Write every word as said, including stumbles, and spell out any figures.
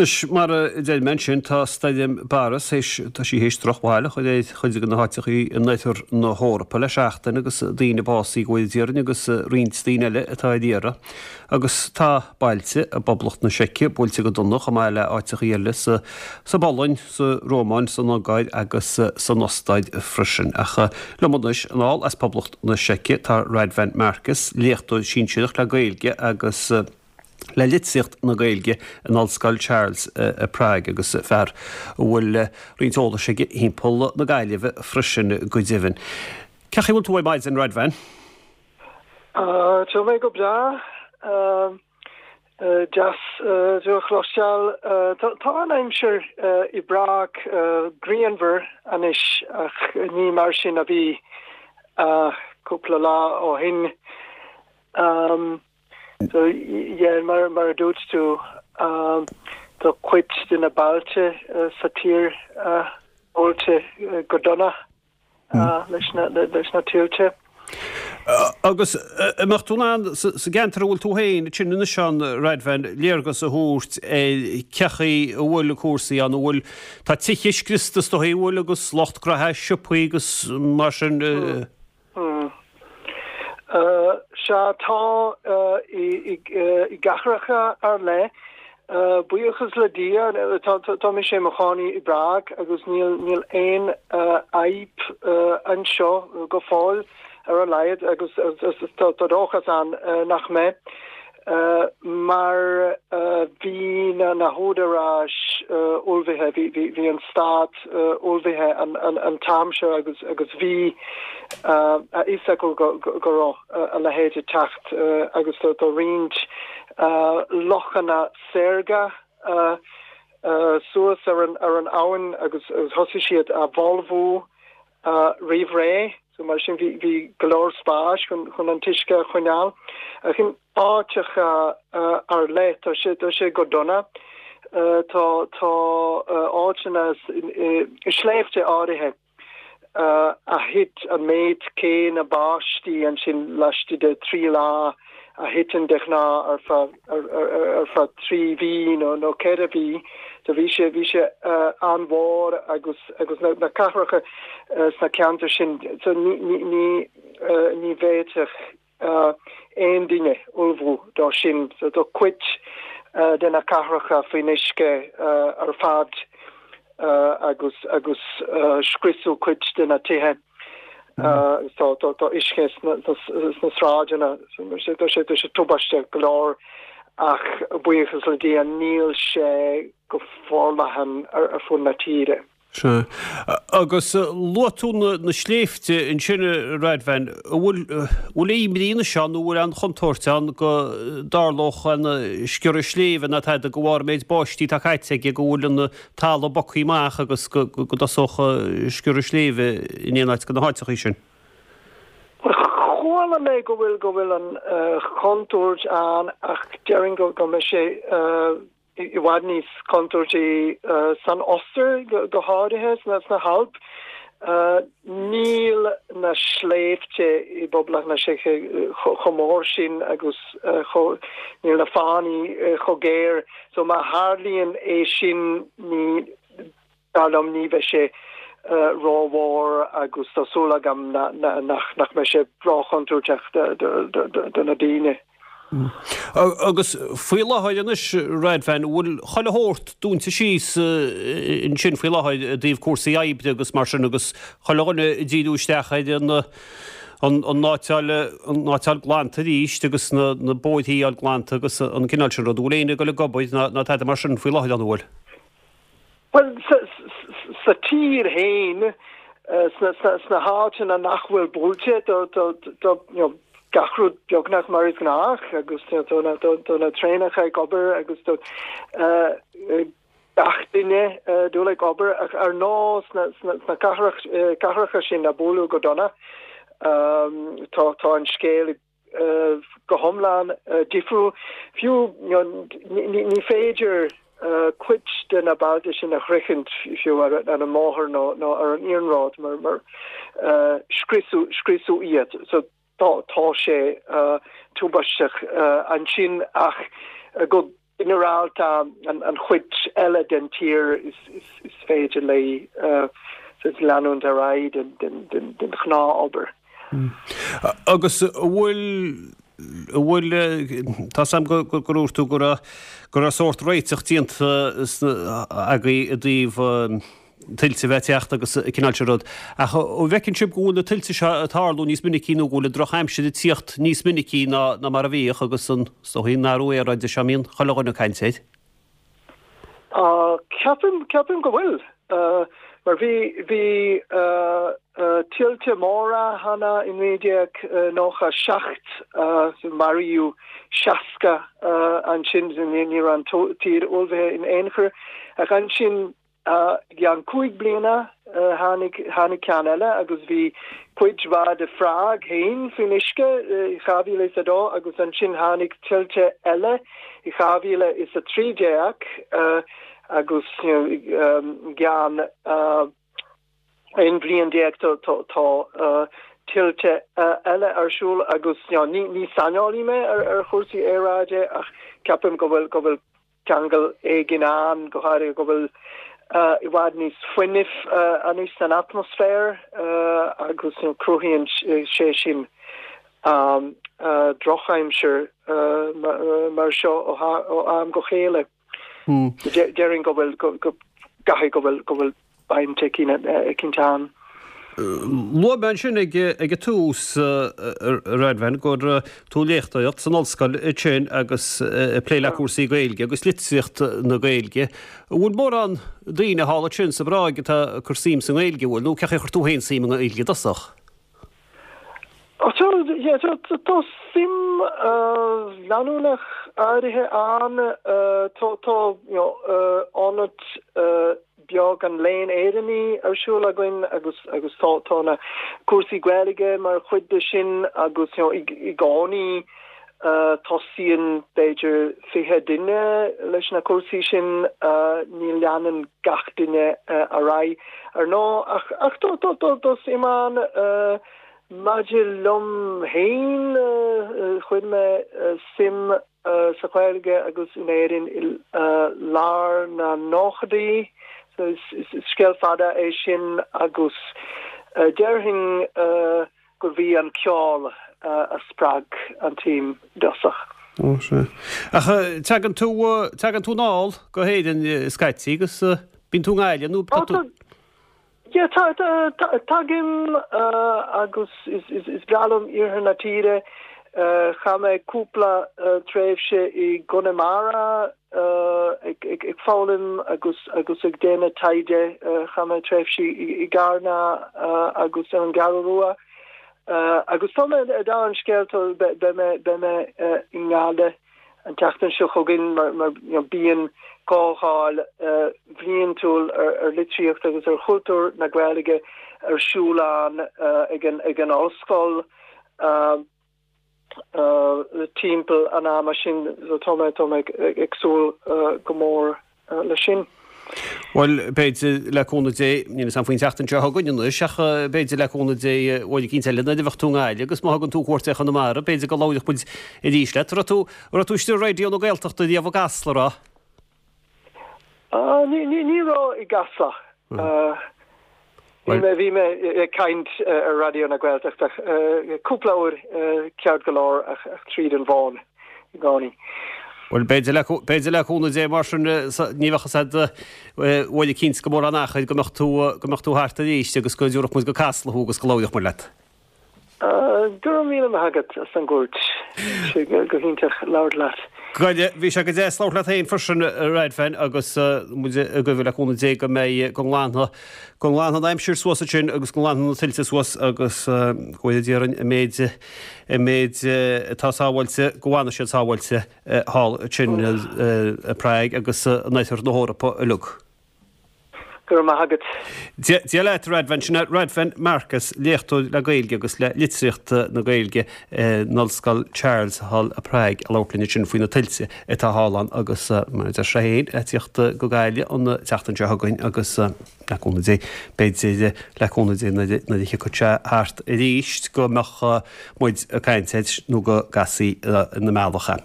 Anois, mar a deir mé ansin, tá Stoirm Boris théis, tá sí théis drochbhail a chur ar chuid de na háiteachaí in oirthear na hEorpa le seachtain agus daoine básaithe go bhfóire Dia orainn agus roinnt daoine eile atá ar iarraidh. Agus tá bailte i bPoblacht na Seice buailte go dona chomh maith le áiteachaí eile sa sa bPolainn, sa Rómáin, san Ungáir agus san Ostáir freisin. Ach liom anois anall as Poblacht na Seice tá Radvan Markus, léachtóir sinsearach le Gaeilge agus le litríocht na Gaeilge in Ollscoil Charles i Prague agus fear a bhfuil roinnt eolais aige thimpeall na Gaillimhe freisin go deimhin. Cén chaoi a bhfuil tú ar maidin, Radvan? Tá mé go breá. Deas tú a chloisteáil. Tá an aimsir i bPrág grianmhar anois ach ní mar sin a bhí cúpla lá ó shin. So yeah, mar mar a dúirt tú um, tá cuid de na bailte uh, sa tír uh, buailte uh, go dona uh, leis na leis na tuilte. Agus an mbeadh tú in ann sa gceantar a bhfuil tú féin sin anois a Radvan léargas a thabhairt ar cén chaoi a bhfuil na cúrsaí an bhfuil tá tithe scriosta is dóigh bhfuil agus lucht gnaithe siopaí agus mar sin mm. Mm. Uh, sea tá uh, i, i, i gcathracha ar leith uh, buíochas le Dia tá, tá, tá mise i mo chónaí i bPrág agus níl níl aon uh, fhadhb uh, anseo go fóill ar a laghad agus tá tá dóchas ann uh, nach mbeidh. Uh, mar uh, bhí na na húdaráis uh, ullmhaithe bhí bhí bhí an stát uh, ullmhaithe an, an, an t-am seo agus agus bhí uh, a fhios acu go, go, go raibh uh, a leithéid ag teacht uh, agus tá tá roinnt uh, lochanna saorga uh, uh, suas ar an ar an abhainn agus, agus thosaigh siad a bholbhú uh, roimh ré so mar sin bhí bhí go leor spáis chun chun an t-uisce a choinneáil ach in áiteacha uh, ar leith tá sé tá sé go dona uh, tá tá uh, áiteanna i sléibhte áirithe uh, a thit an méid céanna báistí ansin laistigh de trí lá a thiteann de ghnáth ar feadh ar, ar, ar, ar feadh trí mhí nó nó ceithre mhí so bhí sé bhí sé uh, an-mhór agus agus na, na cathracha uh, sna ceantair sin so ní ní ní uh, ní bhféadfadh uh, aon duine ullmhú dó sin so tá cuid uh, de na cathracha faoin uisce uh, ar fad uh, agus agus uh, scriosadh cuid de na tithe. Uh, tá tá tá uisce sna sna sráideanna sé tá sé tá sé tubaisteach go leor ach buíochas le Dia níl sé go forleathan ar ar fud na tíre. Sea. Agus luaigh tú na, na sléibhte ansin Radvan, bhfuil bhfuil imní seo nó bhfuil an chontúirt ann go dtarlódh an sciorradh sléibhe ná tada de bharr méid báistí atá caite aige go bhfuil an talamh bogtha amach agus go go dtosódh sciorradh sléibhe in aon áit de na háiteachaí sin. Chuala mé go bhfuil go bhfuil an uh, chontúirt ann ach déarfainn go go mbeidh sé uh, i bhfad níos contúirtí uh, san Ostair go, go háirithe sna sna hAilp. Uh, níl na sléibhte i bPoblacht na Seice chomh mór sin agus uh, níl na fánaí uh, chomh géar, so má tharlaíonn é sin ní dar liom ní bheidh sé uh, rómhór agus tá súil agam na, na, nach nach mbeidh sé róchontúirteach do na daoine. Mm. Agus faoi láthair anois Radvan bhfuil chuile shórt dúnta síos ansin faoi láthair i dtaobh cúrsaí oibre agus mar sin agus chuile dhuine ag díriú isteach ar an an an áit a fháil an áit a fháil glanta arís agus na na bóithre a fháil glanta agus an cineál sin rud bhfuil éinne ag dul ag obair ná ná tada mar sin faoi láthair an bhfuil. Well sa, sa tír féin sna, sna, sna háiteanna nach bhfuil buailte do, do, do, you know, gach rud beagnach mar is gnách agus tá na tá na traenacha ag obair agus do uh, gach duine uh, dul ag obair ach ar nós sna, sna, sna cathrach, uh, cathracha sin a buaileadh go dona um, tá tá an scéal uh, go hiomlán uh, difriúil fiú you know, ní, ní, ní féidir uh, cuid de na bailte sin a shroichint fiú ar, ar an mbóthar nó nó ar an iarnród mar mar uh, scriosadh scriosadh iad so tá tá sé uh, tubaisteach uh, ansin ach uh, go ginearálta an chuid eile den tír is féidir léi leanúint ar aghaidh den ghnáthobair. Agus bhfuil bhfuil tá a fhios agam gur dhúirt tú go raibh go raibh sórt réiteach déanta agaibh i dtaobh tuilte a bheith ag teacht agus an cineál sin rud. Ach an bhfeiceann sibh go bhfuil na tuilte seo ag tarlú níos minicí nó go bhfuil an drochaimsir ag tíocht níos minicí ná ná mar a bhíodh agus an is dóichí an athrú aeráide seo a mbíonn chuile dhuine ag caint air? Ceapaim ceapaim go bhfuil. Mar bhí bhí tuilte móra cheana i naoi déag nócha seacht maraíodh seasca ansin ní raibh an tír ullmhaithe in aon chor ach ansin I gceann cúig bliana tháinig tháinig ceann eile agus bhí cuid mhaith de Phrág féin faoin uisce i dhá mhíle is a dó agus ansin tháinig tuilte eile i dhá mhíle is a trí déag agus i gceann aon bhliain déag tá tuilte eile ar siúl agus ní ní saineolaí mé ar ar chúrsaí aeráide ach ceapaim go bhfuil go bhfuil ceangal éigin ann, go háirithe go bhfuil i bhfad níos fuinnimh anois san atmaisféar agus cruthaíonn sé sin drochaimsir mar seo ó am go chéile. Déarfainn go bhfuil go gcaithfidh go bhfuil go bhfuil baint eicínt ann. Luaigh mé ansin ag an tús, a Radvan, gur tú ag léachtóireacht san ollscoil ansin agus ag plé le cúrsaí Gaeilge agus litríocht na Gaeilge. An bhfuil mórán daoine thall ansin sa bPráig atá ag cur suim sa nGaeilge, an bhfuil? Nó cén chaoi ar chuir tú féin suim i nGaeilge i dtosach? Tá suim leanúnach áirithe ann. Tá ionad beag an Léinn Éireannaigh ar siúl againn agus agus tá tá na cúrsaí Gaeilge mar chuid de sin agus you know i gcónaí tosaíonn b'fhéidir fiche duine leis na cúrsaí sin ní leanann gach duine ar aghaidh ar ndóigh ach ach tá tá tá tá suim ann maidir liom féin chuir mé suim sa Ghaeilge agus in Éirinn i lár na nóchaidí so is scéal fada é sin agus déarfainn gurbh í an ceol a spreag an tsuim i dtosach. Ó sea. Ach tagann tú, tagann tú anall go hÉirinn scaití agus bíonn tú i nGaillimh nó tá tú. Yeah, tá, tá, tá, tagaim agus is, is, is breá liom iarthar na tíre. Chaith mé cúpla tréimhse i gConamara ag, ag, ag foghlaim agus, agus ag déanamh taighde. Chaith mé tréimhsí i gCarna agus ar an gCeathrú Rua. Agus tá mé, dála an scéil, beidh mé, beidh mé i nGaillimh an tseachtain seo chugainn mar mar you know bíonn comhdháil bhliantúil ar ar litríocht agus ar chultúr na Gaeilge ar siúl ann ag an ag an ollscoil timpeall an ama sin so tá mé tá mé ag súil go mór leis sin. Bhuel, b'fhéidir le cúnamh Dé, níl 'fhios a'm faoin tseachtain seo chugainn anois, ach b'fhéidir le cúnamh Dé uair eicínt eile nuair a bheadh tú i nGaillimh agus má thugann tú cuairt ar Chonamara, b'fhéidir go labhródh muid arís leat. Raibh tú, raibh tú istigh ar Raidió na Gaeltachta riamh i gCasla, raibh? Ní, ní, ní raibh i gCasla. Bhí mé, bhí mé ag caint ar Raidió na Gaeltachta cúpla uair ceart go leor ach tríd an bhfón i gcónaí. Bhuel, b'fhéidir le, b'fhéidir le cúnamh Dé mar sin, ní bheadh fhios a'd uair eicínt go mórán achair go mbeadh tú, go mbeadh tú thart arís agus go dtabharfadh muid go Casla thú agus go labhródh muid leat. Go raibh míle maith agat as an gcuairt. Bhí sé go hiontach labhairt leat. Go, bhí sé go deas labhairt leat féin freisin, a Radvan, agus muid ag guí le cúnamh Dé go mbeidh, go nglanfaidh, go nglanfaidh an aimsir suas ansin agus go nglanfaidh na tuilte suas agus go bhfóire Dia orainn an méid, an méid atá sábháilte, go bhfanfaidh siad sábháilte. thall ansin i bPrág agus in oirthear na hEorpa uilig. Go raibh maith agat. Dia leat, a Radvan. Sin é Radvan Markus, léachtóir le Gaeilge agus le litríocht na Gaeilge in Ollscoil Charles thall i bPrág ag labhairt linn ansin faoi na tuilte atá thall ann agus mar a deir sé féin, ag tíocht go Gaillimh an tseachtain seo chugainn agus le cúnamh Dé, b'fhéidir le cúnamh Dé nuair a thiocfadh sé thart arís go mbeadh muid ag caint air nó go gcasfaí ina mbealach é.